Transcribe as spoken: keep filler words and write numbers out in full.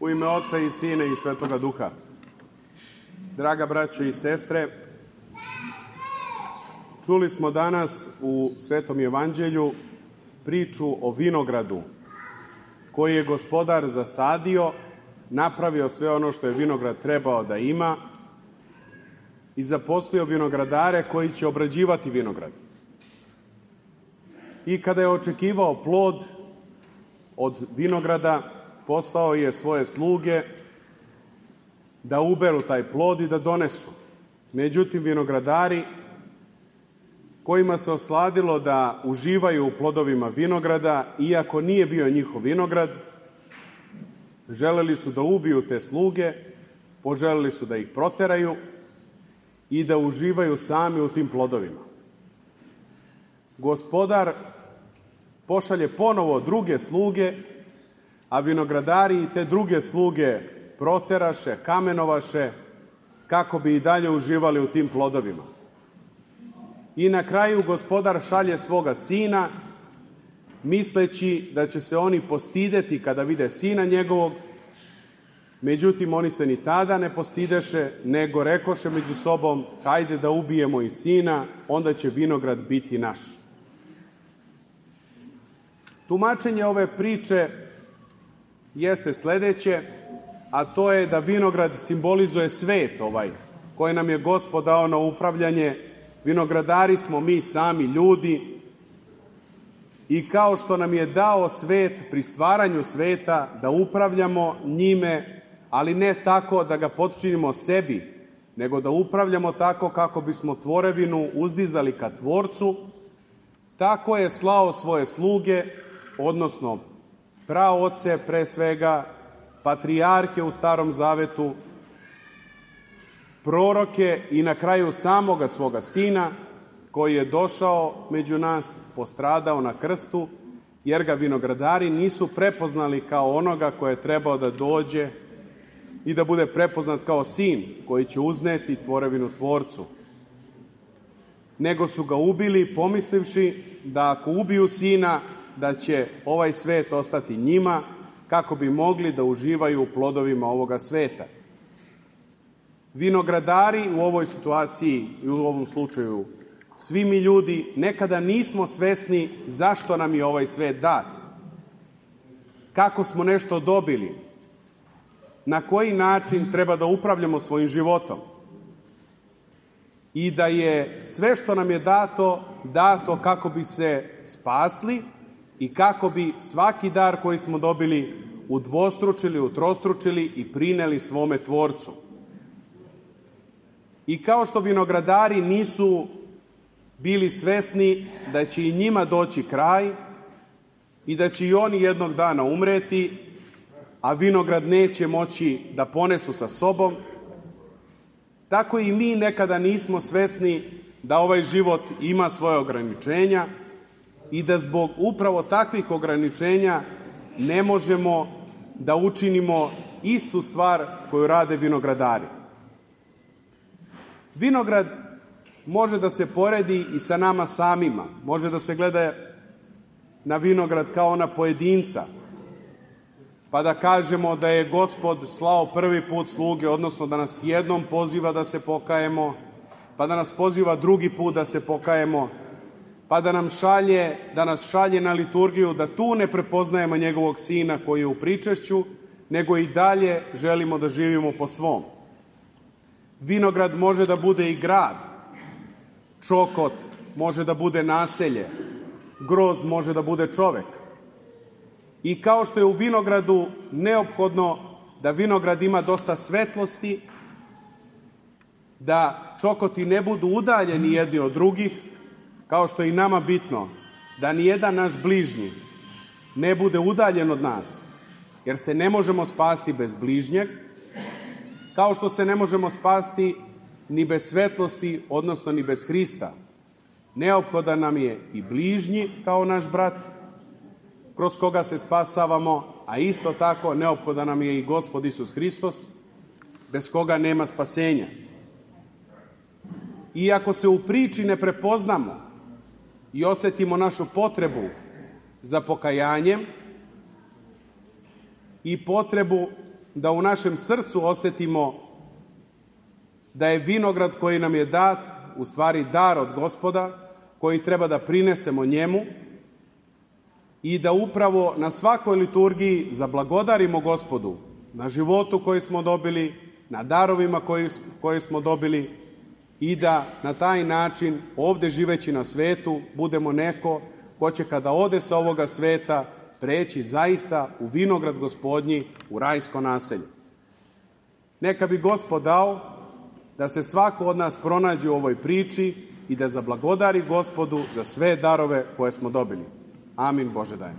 U ime Oca i Sina i Svetoga Duha. Draga braćo i sestre, čuli smo danas u Svetom Evanđelju priču o vinogradu koji je Gospodar zasadio, napravio sve ono što je vinograd trebao da ima i zaposlio vinogradare koji će obrađivati vinograd. I kada je očekivao plod od vinograda, poslao je svoje sluge da uberu taj plod i da donesu. Međutim, vinogradari kojima se osladilo da uživaju u plodovima vinograda, iako nije bio njihov vinograd, želeli su da ubiju te sluge, poželeli su da ih proteraju i da uživaju sami u tim plodovima. Gospodar pošalje ponovo druge sluge, a vinogradari i te druge sluge proteraše, kamenovaše, kako bi i dalje uživali u tim plodovima. I na kraju Gospodar šalje svoga sina, misleći da će se oni postideti kada vide sina njegovog. Međutim, oni se ni tada ne postideše, nego rekoše među sobom: hajde da ubijemo i sina, onda će vinograd biti naš. Tumačenje ove priče jeste sledeće, a to je da vinograd simbolizuje svet ovaj, koji nam je Gospod dao na upravljanje. Vinogradari smo mi sami ljudi i kao što nam je dao svet pri stvaranju sveta da upravljamo njime, ali ne tako da ga potčinimo sebi, nego da upravljamo tako kako bismo tvorevinu uzdizali ka Tvorcu, tako je slao svoje sluge, odnosno praoce pre svega, patrijarhe u Starom Zavetu, proroke i na kraju samoga svoga sina, koji je došao među nas, postradao na krstu, jer ga vinogradari nisu prepoznali kao onoga koje je trebao da dođe i da bude prepoznat kao sin koji će uzneti tvorevinu Tvorcu. Nego su ga ubili pomislivši da ako ubiju sina, da će ovaj svet ostati njima, kako bi mogli da uživaju u plodovima ovoga sveta. Vinogradari u ovoj situaciji i u ovom slučaju, svi mi ljudi, nekada nismo svesni zašto nam je ovaj svet dat, kako smo nešto dobili, na koji način treba da upravljamo svojim životom i da je sve što nam je dato, dato kako bi se spasli i kako bi svaki dar koji smo dobili udvostručili, utrostručili i prineli svome Tvorcu. I kao što vinogradari nisu bili svesni da će i njima doći kraj i da će i oni jednog dana umreti, a vinograd neće moći da ponesu sa sobom, tako i mi nekada nismo svesni da ovaj život ima svoje ograničenja i da zbog upravo takvih ograničenja ne možemo da učinimo istu stvar koju rade vinogradari. Vinograd može da se poredi i sa nama samima. Može da se gleda na vinograd kao na pojedinca, pa da kažemo da je Gospod slao prvi put sluge, odnosno da nas jednom poziva da se pokajemo, pa da nas poziva drugi put da se pokajemo, pa da nam šalje, da nas šalje na liturgiju, da tu ne prepoznajemo njegovog sina koji je u pričešću, nego i dalje želimo da živimo po svom. Vinograd može da bude i grad, čokot može da bude naselje, grozd može da bude čovek. I kao što je u vinogradu neophodno da vinograd ima dosta svetlosti, da čokoti ne budu udaljeni jedni od drugih, kao što je i nama bitno da nijedan naš bližnji ne bude udaljen od nas, jer se ne možemo spasti bez bližnjeg, kao što se ne možemo spasti ni bez svetlosti, odnosno ni bez Hrista. Neophodan nam je i bližnji kao naš brat, kroz koga se spasavamo, a isto tako neophodan nam je i Gospod Isus Hristos, bez koga nema spasenja. I ako se u priči ne prepoznamo i osetimo našu potrebu za pokajanjem i potrebu da u našem srcu osetimo da je vinograd koji nam je dat u stvari dar od Gospoda, koji treba da prinesemo njemu i da upravo na svakoj liturgiji zablagodarimo Gospodu na životu koji smo dobili, na darovima koji, koje smo dobili i da na taj način ovde živeći na svetu budemo neko ko će kada ode sa ovoga sveta preći zaista u vinograd Gospodnji, u rajsko naselje. Neka bi Gospod dao da se svako od nas pronađe u ovoj priči i da zablagodari Gospodu za sve darove koje smo dobili. Amin, Bože daj.